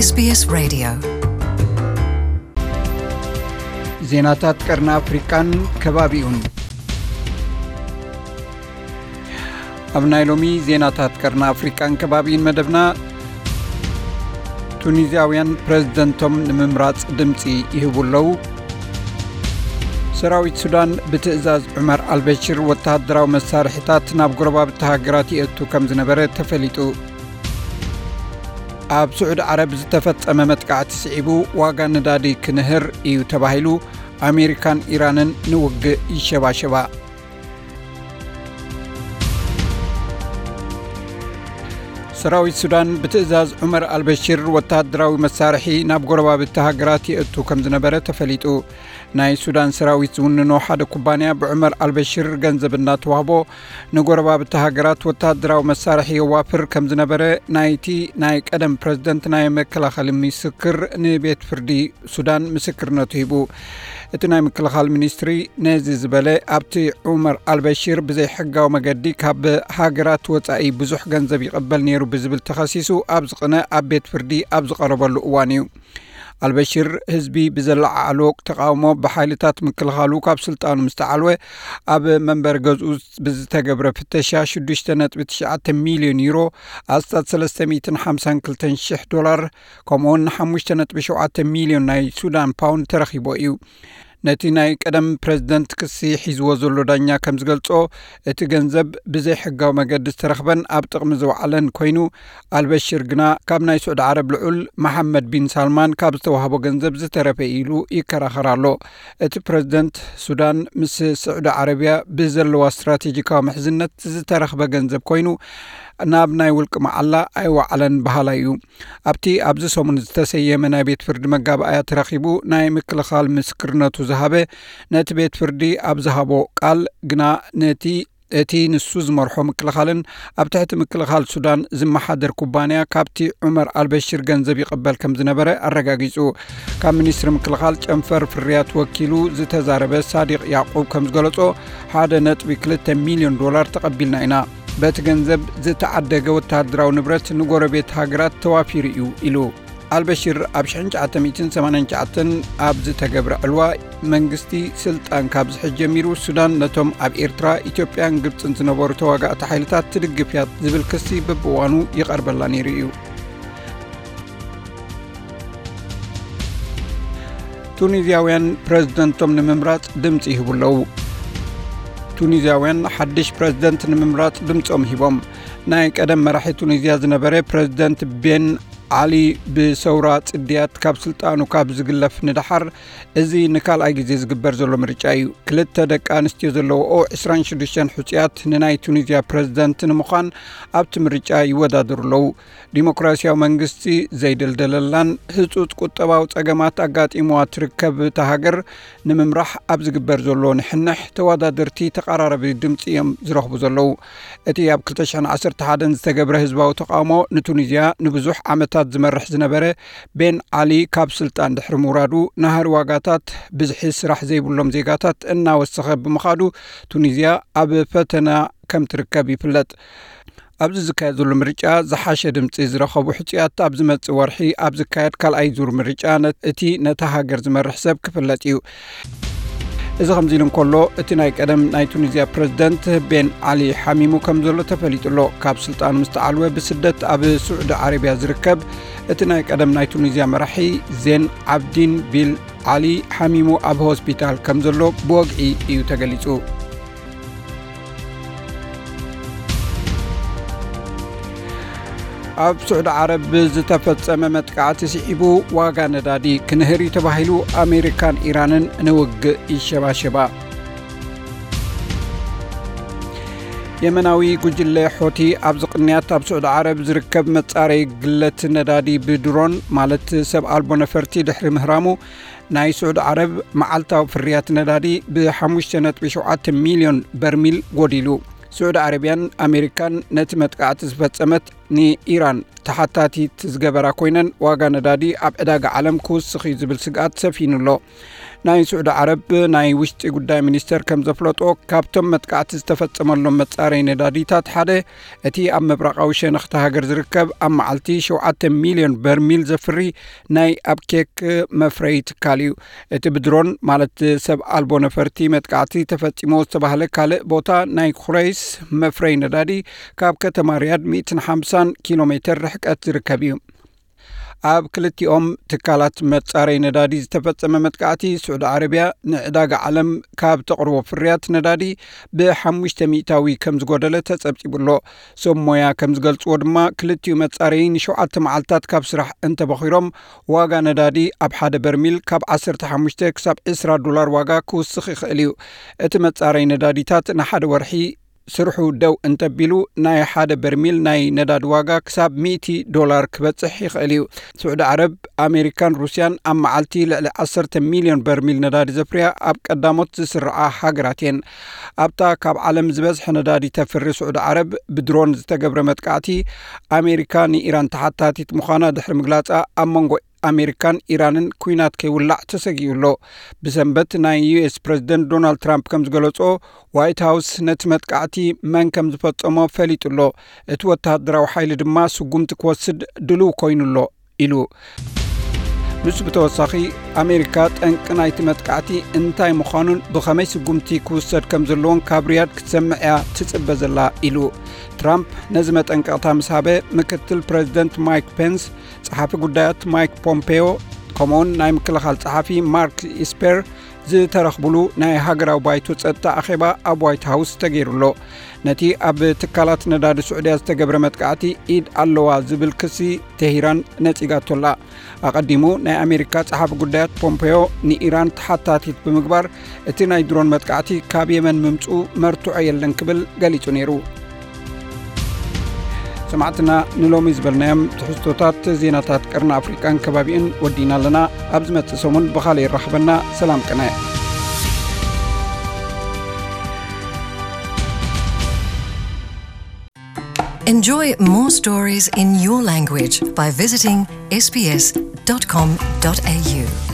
SBS Radio. ዜናታት ቀርኒ ኣፍሪቃን ከባቢኡን። ኣብ ናይ ሎሚ ዜናታት ቀርኒ ኣፍሪቃን ከባቢኡን መደብና፣ ቱኒዝያውያን ፕረዚደንቶም ንምምራጽ ድምጺ ይህቡ ኣለዉ። ሰራዊት ሱዳን ብትእዛዝ ዑመር ኣልበሽር ወተሃደራዊ መሳርሒታት ናብ ጎረባብቲ ሃገራት የእቱ ከም ዝነበረ ተፈሊጡ። ኣብ ስዑዲ ዓረብ ዝተፈጸመ መጥቃዕቲ ስዒቡ ዋጋ ነዳዲ ክንህር እዩ ተባሂሉ፣ ኣሜሪካን ኢራንን ንውግእ ይሸባሸባ። ሰራዊት ሱዳን ብትእዛዝ ዑመር ኣልበሽር ወተሃደራዊ መሳርሒ ናብ ጎረባብቲ ሃገራት የእቱ ከም ዝነበረ ተፈሊጡ። ናይ ሱዳን ሰራዊት ዝውንኖ ሓደ ኩባንያ ብዑመር ኣልበሽር ገንዘብ እናተዋህቦ ንጎረባብቲ ሃገራት ወተሃደራዊ መሳርሒ የዋፍር ከም ዝነበረ ናይቲ ናይ ቀደም ፕረዚደንት ናይ መከላኸሊ ምስክር ንቤት ፍርዲ ሱዳን ምስክርነቱ ሂቡ። እቲ ናይ ምክልኻል ሚኒስትሪ ነዚ ዝበለ፣ ኣብቲ ዑመር ኣልበሽር ብዘይሕጋዊ መገዲ ካብ ሃገራት ወጻኢ ብዙሕ ገንዘብ ይቕበል ነይሩ ብዝብል ተኸሲሱ ኣብ ዝቕነ ኣብ ቤት ፍርዲ ኣብ ዝቐረበሉ እዋን እዩ። ኣልበሽር ህዝቢ ብዘለዓዕሎ ተቓውሞ ብሓይልታት ምክልኻሉ ካብ ስልጣኑ ምስ ተዓልወ፣ ኣብ መንበሪ ገዝኡ ብዝተገብረ ፍተሻ ሽዱሽተ ነጥቢ ትሽዓተ ሚልዮን ዩሮ፣ ኣስታት ሰለስተ ሚእትን ሓምሳን ክልተን ሽሕ ዶላር፣ ከምኡውን ሓሙሽተ ነጥቢ ሸውዓተ ሚልዮን ናይ ሱዳን ፓውንድ ተረኺቦ እዩ። ነቲ ናይ ቀደም ፕረዚደንት ክሲ ሒዝዎ ዘሎ ዳኛ ከም ዝገልጾ፣ እቲ ገንዘብ ብዘይሕጋዊ መገዲ ዝተረኽበን ኣብ ጥቕሚ ዝወዓለን ኮይኑ፣ ኣልበሽር ግና ካብ ናይ ስዑዲ ዓረብ ልዑል መሓመድ ቢን ሳልማን ካብ ዝተዋህቦ ገንዘብ ዝተረፈ ኢሉ ይከራኸር ኣሎ። እቲ ፕረዚደንት ሱዳን ምስ ስዑዲ ዓረብያ ብዘለዋ ስትራቴጂካዊ ምሕዝነት ዝተረኽበ ገንዘብ ኮይኑ፣ ናብ ናይ ውልቂ መዓላ ኣይወዓለን በሃላይ እዩ። ኣብቲ ኣብዚ ሰሙን ዝተሰየመ ናይ ቤት ፍርዲ መጋባእያ ተረኺቡ ናይ ምክልኻል ምስክርነቱ ዝሃበ፣ ነቲ ቤት ፍርዲ ኣብ ዝሃቦ ቃል ግና ነቲ፣ እቲ ንሱ ዝመርሖ ምክልኻልን ኣብ ትሕቲ ምክልኻል ሱዳን ዝመሓደር ኩባንያ ካብቲ ዑመር ኣልበሽር ገንዘብ ይቕበል ከም ዝነበረ ኣረጋጊጹ። ካብ ሚኒስትሪ ምክልኻል ጨንፈር ፍርያት ወኪሉ ዝተዛረበ ሳዲቕ ያዕቁብ ከም ዝገለጾ፣ ሓደ ነጥቢ ክልተ ሚልዮን ዶላር ተቐቢልና ኢና። በቲ ገንዘብ ዝተዓደገ ወተሃደራዊ ንብረት ንጎረቤት ሃገራት ተዋፊሩ እዩ ኢሉ። ኣልበሽር ኣብ ሽሕን ትሽዓተ ሚእትን ሰማንያን ትሽዓተን ኣብ ዝተገብረ ዕልዋ መንግስቲ ስልጣን ካብ ዝሕዝ ጀሚሩ፣ ሱዳን ነቶም ኣብ ኤርትራ፣ ኢትዮጵያን ግብጽን ዝነበሩ ተዋጋእቲ ሓይልታት ትድግፍ እያ ዝብል ክሲ በብእዋኑ ይቐርበላ ነይሩ እዩ። ቱኒዝያውያን ፕረዚደንቶም ንምምራጽ ድምጺ ይህቡ ኣለዉ። ቱኒዝያውያን ሓድሽ ፕረዚደንት ንምምራጽ ድምጾም ሂቦም። ናይ ቀደም መራሒ ቱኒዝያ ዝነበረ ፕረዚደንት ቤን ዓሊ ብሰውራ ጽድያት ካብ ስልጣኑ ካብ ዝግለፍ ንደሓር፣ እዚ ንካልኣይ ግዜ ዝግበር ዘሎ ምርጫ እዩ። ክልተ ደቂ ኣንስትዮ ዘለዎኦ ዕስራን ሽዱሽተን ሕጹያት ንናይ ቱኒዝያ ፕረዚደንት ንምዃን ኣብቲ ምርጫ ይወዳደሩ ኣለዉ። ዲሞክራሲያዊ መንግስቲ ዘይደልደለላን ህጹጽ ቁጠባዊ ጸገማት ኣጋጢምዋ ትርከብ እታ ሃገር ንምምራሕ ኣብ ዝግበር ዘሎ ንሕንሕ፣ ተወዳደርቲ ተቐራራቢ ድምጺ እዮም ዝረኽቡ ዘለዉ። እቲ ኣብ ክልተ ሽሕን ዓሰርተ ሓደን ዝተገብረ ህዝባዊ ተቓውሞ ንቱኒዝያ ንብዙሕ ዓመታት ዝመርሕ ዝነበረ ቤን ዓሊ ካብ ስልጣን ድሕሪ ምውራዱ፣ ናህሪ ዋጋታት፣ ብዝሒ ስራሕ ዘይብሎም ዜጋታት እናወሰኸ ብምኻዱ፣ ቱኒዝያ ኣብ ፈተና ከም ትርከብ ይፍለጥ። ኣብዚ ዝካየድ ዘሎ ምርጫ ዝሓሸ ድምጺ ዝረኸቡ ሕጹያት ኣብ ዝመጽእ ወርሒ ኣብ ዝካየድ ካልኣይ ዙር ምርጫ ነ-፣ እቲ ነታ ሃገር ዝመርሕ ሰብ ክፍለጥ እዩ። እዚ ከምዚ ኢሉ እንከሎ፣ እቲ ናይ ቀደም ናይ ቱኒዝያ ፕረዚደንት ቤን ዓሊ ሓሚሙ ከም ዘሎ ተፈሊጡ ኣሎ። ካብ ስልጣኑ ምስ ተዓልወ ብስደት ኣብ ስዑዲ ዓረብያ ዝርከብ እቲ ናይ ቀደም ናይ ቱኒዝያ መራሒ ዜን ዓብዲን ቢል ዓሊ ሓሚሙ ኣብ ሆስፒታል ከም ዘሎ ብወግዒ እዩ ተገሊጹ። ኣብ ስዑዲ ዓረብ ዝተፈጸመ መጥቃዕቲ ስዒቡ ዋጋ ነዳዲ ክንህር እዩ ተባሂሉ፣ ኣሜሪካን ኢራንን ንውግእ ይሸባሸባ። የመናዊ ጉጅለ ሖቲ ኣብዚ ቅንያት ኣብ ስዑዲ ዓረብ ዝርከብ መጻረዪ ግለት ነዳዲ ብድሮን፣ ማለት ሰብ ኣልቦ ነፈርቲ፣ ድሕሪ ምህራሙ፣ ናይ ስዑዲ ዓረብ መዓልታዊ ፍርያት ነዳዲ ብ ሓሙሽተ ነጥቢ ሸውዓተ ሚልዮን በርሚል ጎዲሉ። ስዑዲ ዓረብያን ኣሜሪካን ነቲ መጥቃዕቲ ዝፈጸመት ንኢራን ተሓታቲት ዝገበራ ኮይነን፣ ዋጋ ነዳዲ ኣብ ዕዳጋ ዓለም ክውስኽ እዩ ዝብል ስግኣት ሰፊኑ ኣሎ። ናይ ስዑዲ ዓረብ ናይ ውሽጢ ጉዳይ ሚኒስተር ከም ዘፍለጦ፣ ካብቶም መጥቃዕቲ ዝተፈጸመሎም መጻረይ ነዳዲታት ሓደ፣ እቲ ኣብ ምብራቓዊ ሸነኽቲ ሃገር ዝርከብ ኣብ መዓልቲ ሸውዓተ ሚልዮን በርሚል ዘፍሪ ናይ ኣብ ኬክ መፍረይ ትካል እዩ። እቲ ብድሮን፣ ማለት ሰብ ኣልቦ ነፈርቲ፣ መጥቃዕቲ ተፈጺሞ ዝተባህለ ካልእ ቦታ፣ ናይ ኩረይስ መፍረይ ነዳዲ፣ ካብ ከተማ ሪያድ ሚእትን ሓምሳን ኪሎ ሜተር ርሕቀት ዝርከብ እዩ። ኣብ ክልቲኦም ትካላት መጻረይ ነዳዲ ዝተፈጸመ መጥቃዕቲ፣ ስዑዲ ዓረብያ ንዕዳጋ ዓለም ካብ ተቕርቦ ፍርያት ነዳዲ ብሓሙሽተ ሚእታዊ ከም ዝጎደለ ተጸብጺቡ ኣሎ። ሰብ ሞያ ከም ዝገልጽዎ ድማ፣ ክልቲኡ መጻረይ ንሸውዓተ መዓልታት ካብ ስራሕ እንተበኺሮም፣ ዋጋ ነዳዲ ኣብ ሓደ በርሚል ካብ ዓሰርተ ሓሙሽተ ክሳብ ዕስራ ዶላር ዋጋ ክውስኽ ይኽእል እዩ። እቲ መጻረይ ነዳዲታት ንሓደ ወርሒ ስርሑ ደው እንተቢሉ፣ ናይ ሓደ በርሚል ናይ ነዳዲ ዋጋ ክሳብ ሚእቲ ዶላር ክበጽሕ ይኽእል እዩ። ስዑዲ ዓረብ፣ ኣሜሪካን ሩስያን ኣብ መዓልቲ ልዕሊ ዓሰርተ ሚልዮን በርሚል ነዳዲ ዘፍርያ ኣብ ቀዳሞት ዝስርዓ ሃገራት እየን። ኣብታ ካብ ዓለም ዝበዝሐ ነዳዲ ተፍሪ ስዑዲ ዓረብ፣ ብድሮን ዝተገብረ መጥቃዕቲ፣ ኣሜሪካ ንኢራን ተሓታቲት ምዃና ድሕሪ ምግላጻ፣ ኣብ መንጎ ኣሜሪካን ኢራንን ኲናት ከይውላዕ ተሰጊኡ ኣሎ። ብሰንበት ናይ ዩ ኤስ ፕረዚደንት ዶናልድ ትራምፕ ከም ዝገለጾ፣ ዋይት ሃውስ ነቲ መጥቃዕቲ መን ከም ዝፈጸሞ ፈሊጡ ኣሎ። እቲ ወተሃደራዊ ሓይሊ ድማ ስጉምቲ ክወስድ ድሉው ኮይኑ ኣሎ ኢሉ። ንሱ ብተወሳኺ፣ ኣሜሪካ ጠንቂ ናይቲ መጥቃዕቲ እንታይ ምዃኑን ብኸመይ ስጉምቲ ክውሰድ ከም ዘለዎን ካብ ሪያድ ክትሰምዕ እያ ትጽበ ዘላ ኢሉ። ትራምፕ ነዚ መጠንቀቕታ ምስ ሃበ፣ ምክትል ፕረዚደንት ማይክ ፔንስ፣ ጸሓፊ ጉዳያት ማይክ ፖምፔዮ፣ ከምኡውን ናይ ምክልኻል ጸሓፊ ማርክ ኢስፐር ዝተረኽብሉ ናይ ሃገራዊ ባይቶ ጸጥታ ኣኼባ ኣብ ዋይት ሃውስ ተገይሩ ኣሎ። ነቲ ኣብ ትካላት ነዳዲ ስዑድያ ዝተገብረ መጥቃዕቲ ኢድ ኣለዋ ዝብል ክሲ ቴሂራን ነጺጋቶ ኣላ። ኣቐዲሙ ናይ ኣሜሪካ ጸሓፊ ጉዳያት ፖምፔዮ ንኢራን ተሓታቲት ብምግባር፣ እቲ ናይ ድሮን መጥቃዕቲ ካብ የመን ምምጽኡ መርትዖ የለን ክብል ገሊጹ ነይሩ። ሰማዕትና፣ ንሎሚ ዝበልናዮም ትሕዝቶታት ዜናታት ቀርኒ ኣፍሪቃን ከባቢኡን ወዲና ኣለና። ኣብ ዝመጽእ ሰሙን ብኻልእ ይራኽበና። ሰላም ቅነ። Enjoy more stories in your language by visiting S B S dot com dot A U.